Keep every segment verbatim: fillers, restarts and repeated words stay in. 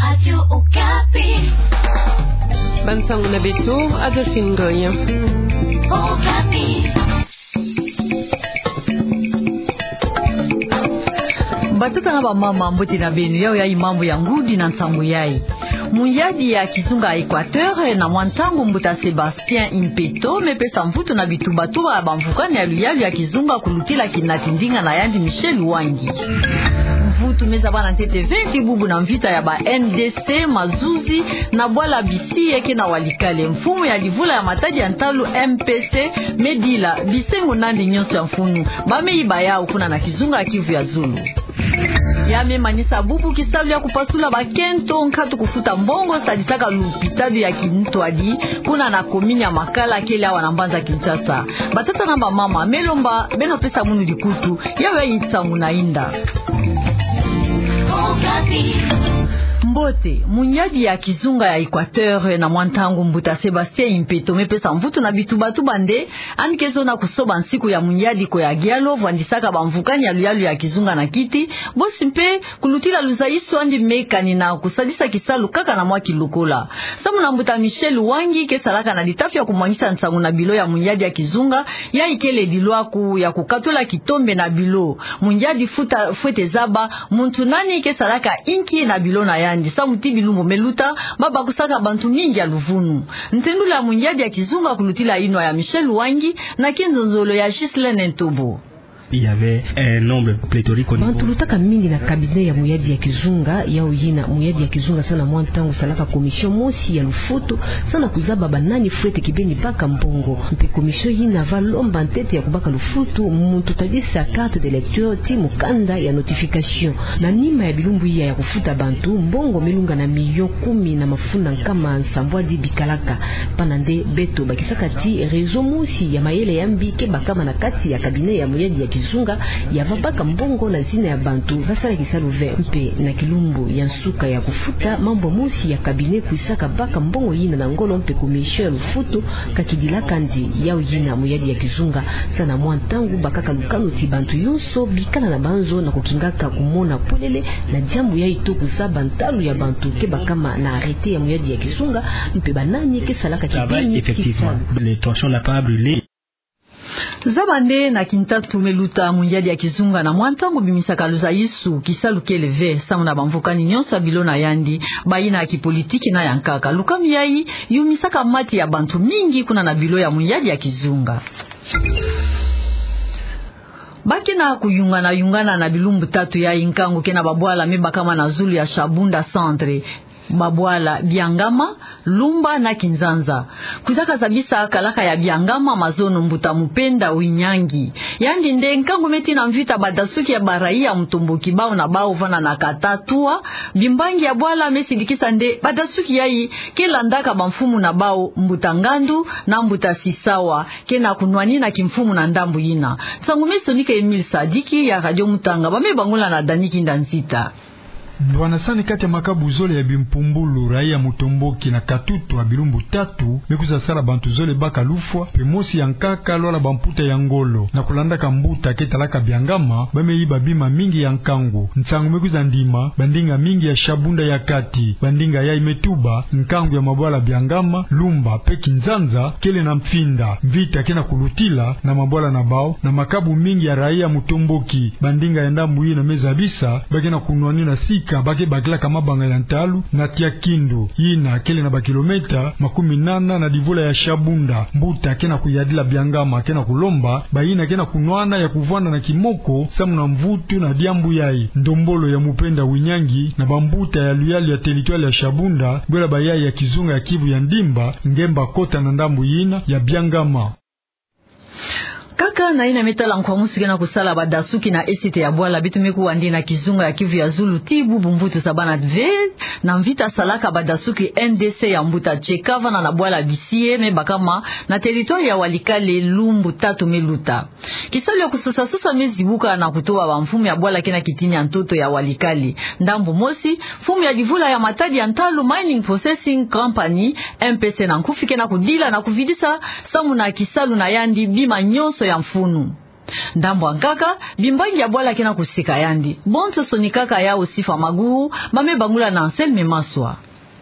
Radio Okapi. Bansango na beto, Adolphine Ngoy. Okapi. Batata na bamama, mbote na beno. Yayi mambu ya ngudi na nsangu yayi. Muyadi ya kizunga Equateur, na mwa ntangu mbuta Sébastien Impeto mepesa mvutu na bitubatuba ya bamvukani ya luyalu ya kizunga kulutila kinati ndinga na yandi Michel Wangui. Mvutu mezaba na ntete ve ti bubu na mvita ya ba N D C, mazuzi, na bwala bisi yeke na Walikale. Mfumu ya livula ya matadi ya ntalu, M P C, medila bisengo nandi nyonso ya mfunu bameyiba yawu kuna na kizunga ya Kivu ya Zulu. Ya memanisa bubu kisalu ya kupasula bakento nkatu kufuta mbongo sadisaka lupitalu ya kintwadi kuna na komini ya Makala, kele awa na mbanza Kinshasa. Batata na bamama, melomba beno pesa munu dikutu, yayi nsangu na inda. Mbote. Muyadi ya kizunga ya Equateur, na mwa ntangu mbuta Sébastien Impeto mepesa mvutu na bitubatuba nde yandi ke zonza kusoba nsiku ya muyadi ko ya gialo, vwandisaka bamvukani ya luyalu ya kizunga na kiti, bosi mpe kulutila luzayisu yandi mekanina kusadisa kisalu kaka na mwa kilokola. Samu na mbuta Michel Wangui, ke salaka na litafi ya kumwangisa nsangu na bilo ya muyadi ya kizunga, yayi kele dilwaku ya kukatula kitombe na bilo. Muyadi futa fwete zaba muntu nani ke salaka inki na bilo na yandi, samu ti bilumbu meluta, babakusaka bantu mingi ya luvunu. Ntendula muyadi ya kizunga kulutila inwa ya Michel Wangui, na kinzonzolo ya Ghislaine Ntobo. Il y avait un nombre pléthorique au niveau. Bantu lutaka mingi na cabinet ya muyadi ya kizunga, yawu yina muyadi ya kizunga samu na mwa ntangu salaka commission mosi ya lufutu, samu na kuzaba banani fwete kibeni baka mbongo. Mpe commission yina va lomba ntete ya kubaka lufutu, muntu tadisa carte d'électeur ti mukanda ya notification. Na nima ya bilumbu iya ya kufuta bantu, mbongo melunga na million kumi na mafunda nkama nsambwadi bikalaka. Pana nde beto bakisaka ti réseau mosi ya mayele ya mbi ke bakama na kati ya cabinet ya muyadi ya kizunga, ya va baka mbongo na zina ya bantu va sala kisalu ve. Mpe na kilumbu ya nsuka ya kufuta, mambu mosi ya cabinet kwisaka baka mbongo yina na ngolo, mpe commission ya lufutu ka kidilaka ndi. Yawu yina muyadi ya kizunga samu na mwa ntangu bakaka lukanu ti bantu yonso bikala na banzo na kukingaka kumona polele na diambu yayi to kuzaba ntalu ya bantu ke bakama na arrêté ya muyadi ya kizunga, mpe banani ke salaka kibeni kisalu. Travail, effectivement. Le tronçon n'a pas brûlé. Zaba nde na kintatu meluta, muyadi ya kizunga na mwa ntangu bimisaka luzayisu kisalu kele ve, samu na bamvukani nyonso ya bilo na yandi, bayina ya kipolitiki na ya nkaka. Lukanu yayi yumisaka mati ya bantu mingi kuna na bilo ya muyadi ya kizunga. Ba ke na kuyungana-yungana na bilumbu tatu yayi nkangu ke na babwala mebakama na zulu ya Shabunda Centre. Babwala Biangama, Lumba na Kinzanza. Kwizaka zabisa kalaka ya Biangama mazono mbuta Mupenda Winyangi. Yandi nde nkangu meti na mvita badasuki ya baraia mutomboki bau na bau vana na kata tua, bimbangi ya bwala mesidikisa nde badasuki yayi ke landaka bamfumu na bau, mbuta Ngandu na mbuta Sisawa, ke na kunwanina kimfumu na ndambu yina. Nsangu mesonika Emile Sadiki ya Radio Mutanga, ba me bangula na Dani Kinda Nzita. Ndwanasani kati ya makabu zole ya bimpumbulu, raia mutomboki na katutu ya bilumbu tatu, me kwiza sala bantu zole baka lufwa, mpe mosi ya nkaka lwala bamputa ya ngolo. Na kulandaka mbuta ke talaka Biangama, ba me yiba bima mingi ya nkangu. Nsangu me kwiza ndima bandinga mingi ya Shabunda ya kati. Bandinga yayi me tuba nkangu ya mabwala Biangama, Lumba, mpe Kinzanza, kele na mfinda. Mvita ke na kulutila na mabwala na bau, na makabu mingi ya raia mutomboki. Bandinga ya ndambu yina me zabisa ba ke na kunwanina sika ba ke bakilaka mabanga ya ntalu na Tiakindu, yina kele na bakilometa makumi nana na divula ya Shabunda. Mbuta ke na kuyadila Biangama ke na kulomba bayina ke na kunwana ya kuvwanda na kimoko samu na mvutu na diambu yayi. Ndombolo ya Mupenda Winyangi na bambuta ya luyalu ya territoire ya Shabunda, bwela bayayi ya kizunga ya Kivu ya Ndimba, ngemba kota na ndambu yina ya Biangama. Kaka na yina me tala nkwamusu ke na kusala badasuki na esite ya bwala, beto me kuwa nde na kizunga ya Kivu ya Zulu ti bubu mvutu zabana ve na mvita salaka badasuki N D C ya mbuta Tcheka vana na bwala Bisie me bakama na territoire ya Walikale lumbu tatu me luta. Kisalu ya kusosa-sosa me zibuka na kutoba bamfumu ya bwala ke na kitini ya ntoto ya Walikale. Ndambu mosi, mfumu ya divula ya matadi ya ntalu, Mining Processing Company, M P C na nkufi, ke na kudila na kuvidisa samu na kisalu na yandi bima nyonso ya mfunu. Ndambu ya nkaka, bimbangi ya bwala ke na kuseka yandi. Bonsoso ni nkaka ya Osifa Maguwu, ba me bangula na Anselme Maswa.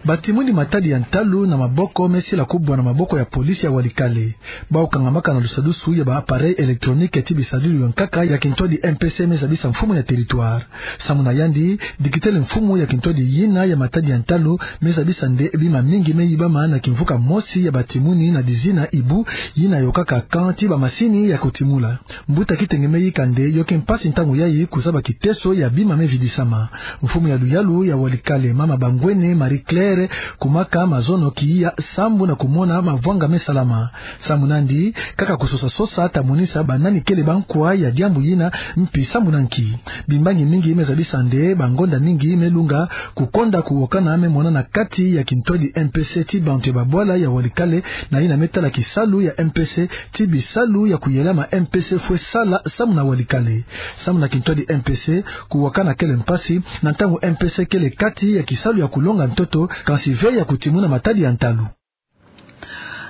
Batimuni matadi ya ntalu na maboko me sila kubwa na maboko ya polisi ya Walikale. Bau kangamaka na lusadusu ya ba appareil électronique ti bisadulu ya nkaka ya kintwadi M P C me zabisa mfumu ya territoire. Samu na yandi, dikitele mfumu ya kintwadi yina ya matadi ya ntalu me zabisa nde bima mingi me yibama na kimvuka mosi ya batimuni na dizina Ibu, yina yokaka camp ti bamasini ya kutimula. Mbuta Kitenge me yika nde yo ke mpasi ntangu yayi kuzaba kiteso ya bima me vidisama. Mfumu ya luyalu ya Walikale, mama Bangwene Marie Claire, kumaka mazono kiya sambu na kumona mavwanga me salama. Samu nandi, kaka kusosa-sosa ta monisa banani kele bankwa ya diambu yina, mpi samu na nki. Bimbangi mingi me zabisa nde bangonda mingi me lunga, kukonda kuwokana me monana kati ya kintwadi M P C ti bantu ya babwala ya Walikale, na yina me tala kisalu ya M P C ti bisalu ya kuyelama M P C fwe sala samu na Walikale. Samu na kintwadi M P C, kuwokana kele mpasi, na ntangu M P C kele kati ya kisalu ya kulonga ntoto, kansi ve ya kutimuna matadi ya ntalu.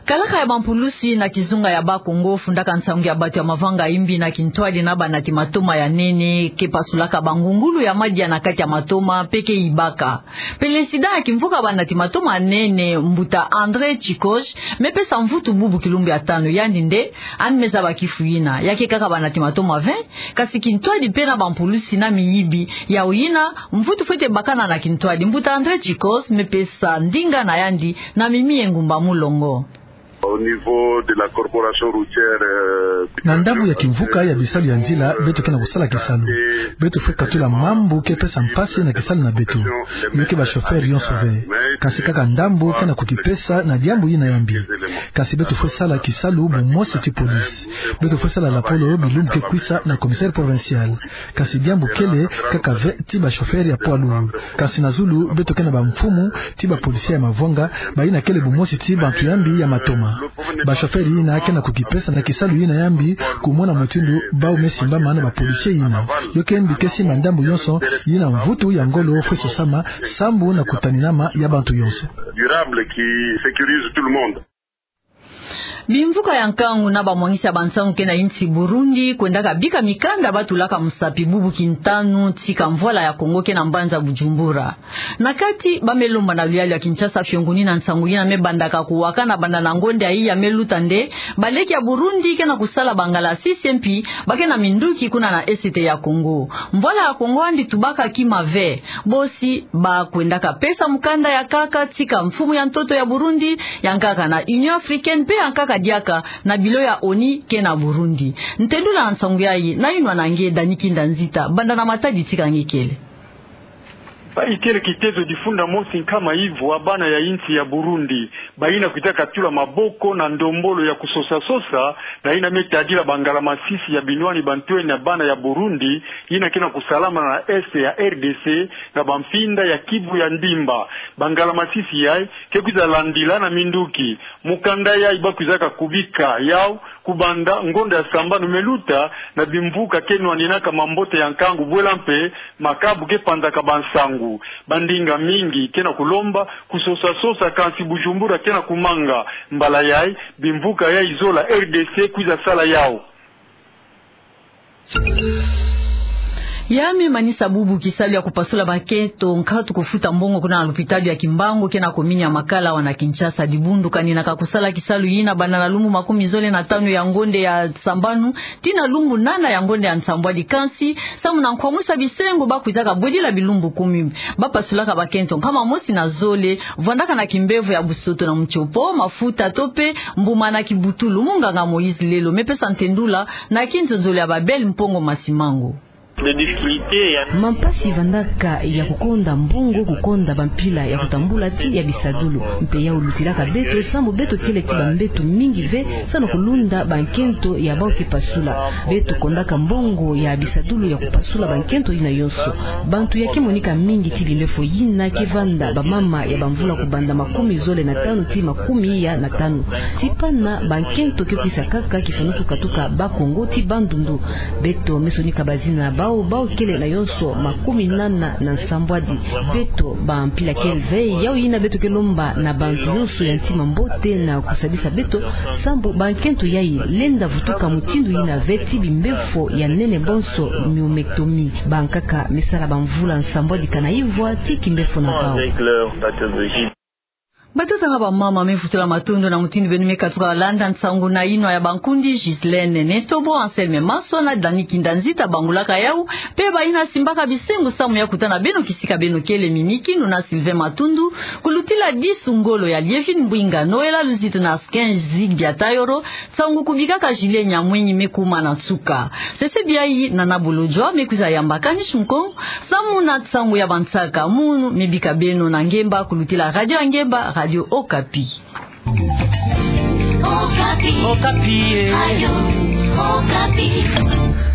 Kalaka ya bampulusi na kizunga ya Bas-Congo fundaka nsangu ya bantu ya mavanga imbi na kintwadi na banati matoma ya nene, ke pasulaka bangungulu ya madia na kati ya matoma, mpe ke yibaka. Pelesida ya kimvuka banati matoma ya nene, mbuta André Tchicos, me pesa mvutu bubu kilumbu ya tanu, yandi nde, yandi me zaba kifu yina. Ya ke kaka banati matoma vingt, kasi kintwadi mpe na bampulusi na miyibi, yawu yina, mvutu fwete bakana na kintwadi. Mbuta André Tchicos, me pesa ndinga na yandi, na Mimi Engumba Mulongo. Au niveau de la corporation routière, euh, na ndambu ya kimvuka ya bisalu ya nzila, beto ke na kusala kisalu. Beto fwe katula mambu ke pesa mpasi na kisalu na beto. Yo ke ba chauffeur yonso ve. Kasi kaka ndambu ke na kukipesa na diambu yina ya mbi. Kasi beto fwe sala kisalu bumosi ti police. Beto fwe sala lapolo bilumbu ke kwisa na commissaire provincial. Kasi diambu kele kaka ve ti ba chauffeur ya poids lourd. Kasi na zulu beto ke na bamfumu ti ba policier ya mavwanga, bayina kele bumosi ti bantu ya mbi ya matoma. Ba chauffeur yina ke na kukipesa na kisalu yina ya mbi, kumona mutindu bau me simbama na ba policier yina. Yo ke mbi ke simba ndambu yonso, yina mvutu ya ngolo fwe sosama, sambu na kutaninama ya bantu yonso. Durable qui sécurise tout le monde. Bimvuka ya nkangu na bamwangisi ya bansangu ke na insi Burundi, kwendaka bika mikanda ba tulaka musapi bubu kintanu, tika mvwala ya Kongo ke na mbanza Bujumbura. Na kati, ba me lomba na luyalu ya Kinshasa fionguni na nsangu yina me bandaka kuwakana banda na ngonda yayi ya me luta nde, baleki ya Burundi ke na kusala bangalasisi mpi, ba ke na minduki kuna na Est ya Kongo. Mvwala ya Kongo yandi tubaka kima ve, bosi ba kwendaka pesa mukanda ya nkaka tika mfumu ya ntoto ya Burundi, ya nkaka na Union Africaine, mpe ya nkaka diaka na bilo ya ONU ke na Burundi. Ntendula na nsangu yayi, nayinwa na nge Dani Kinda Nzita, banda na Matadi tika nge kele. Bayi kele kitezo difunda mosi nkama ivwa bana ya insi ya Burundi, bayina kwizaka tula maboko na ndombolo ya kusosa-sosa, na yina me tadila bangalasisi ya binwani bantwenia bana ya Burundi, yina ke na kusalama na Est ya R D C, na bampinda ya Kivu ya ndimba. Bangalasisi yayi, ke kwiza landila na minduki. Mukanda yayi ba kwizaka kubika yawu, kubanda ngonda ya sambanu me luta, na bimvuka ke nwaninaka mambote ya nkangu bwela mpe, makabu ke panzaka bansangu. Bandinga mingi ke na kulomba, kusosa-sosa kansi Bujumbura ke na kumanga. Mbala yayi, bimvuka yayi zola R D C kwiza sala yawu. Ya me manisa bubu kisalu ya kupasula bakento, nkatu kufuta mbongo kuna na lupitalu ya Kimbangu ke na komini ya Makala awa na Kinshasa. Dibundu kaninaka kusala kisalu yina banda na lumbu makumi zole na tanu ya ngonda ya sambanu, tii na lumbu nana ya ngonda ya nsambwadi, kansi samu na nkwamusa bisengo ba kwizaka bwedila bilumbu kumi. Ba pasulaka bakento nkama mosi na zole, vwandaka na kimbevo ya busoto na mutiopo, mafuta to mpe mbuma na kibutulu. Munganga Moïse Lelo me pesa ntendula na kinzonzolo ya Babel Mpongo Masimango. Mampasi vandaka ya kukonda mbongo, kukonda bampila ya kutambula tii ya bisadulu. Mpe yawu lutilaka beto, samu beto kele tii bambeto mingi ve, samu na kulunda bankento ya bawu ke pasula. Beto kondaka mbongo ya bisadulu ya kupasula bankento yina yonso. Bantu ya ke monika mingi tii bimbefo yina ke vanda bamama ya bamvula kubanda makumi zole na tanu tii makumi ya na tanu. Tii pana bankento ke kwisa kaka kifunusu katuka Bas-Congo tii Bandundu. Beto me sonika bazina Bawu, bawu kele na yonso makumi nana na nsambwadi. Beto ba mpila keleve, yawu yina beto ke lomba na bantu yonso ya ntima mbote na kusadisa beto, sambu ba nkento yayi lenda vutuka mutindu yina ve ti bimbefo ya nene bonso, myomectomie. Bankaka me sala bamvula nsambwadi kana ivwa ti kimbefo na bawu. Batata na bamama, me vutula matondo na mutindu beno me katuka landa nsangu na yinwa ya bankundi Ghislaine Netobo, Anselme Maswa na Dani Kinda Nzita bangulaka yawu, mpe bayina simbaka bisengo samu ya kutana beno kisika beno kele, mimi kinu na Sylvain Matundu, kulutila disu ngolo ya Lievine Mbwinga, Noëlla Luzito na Sken Zigbia Tayoro. Nsangu kubikaka Julien Nyamwenyi me kuma na nsuka. Sese biai, Nana Bolodjwa me kwiza yamba Kanish Mukong samu na nsangu ya bansaka. Munu me bika beno na ngemba kulutila radio ya ngemba, Radio Okapi. Okapi. Okapi, eh. Radio Okapi.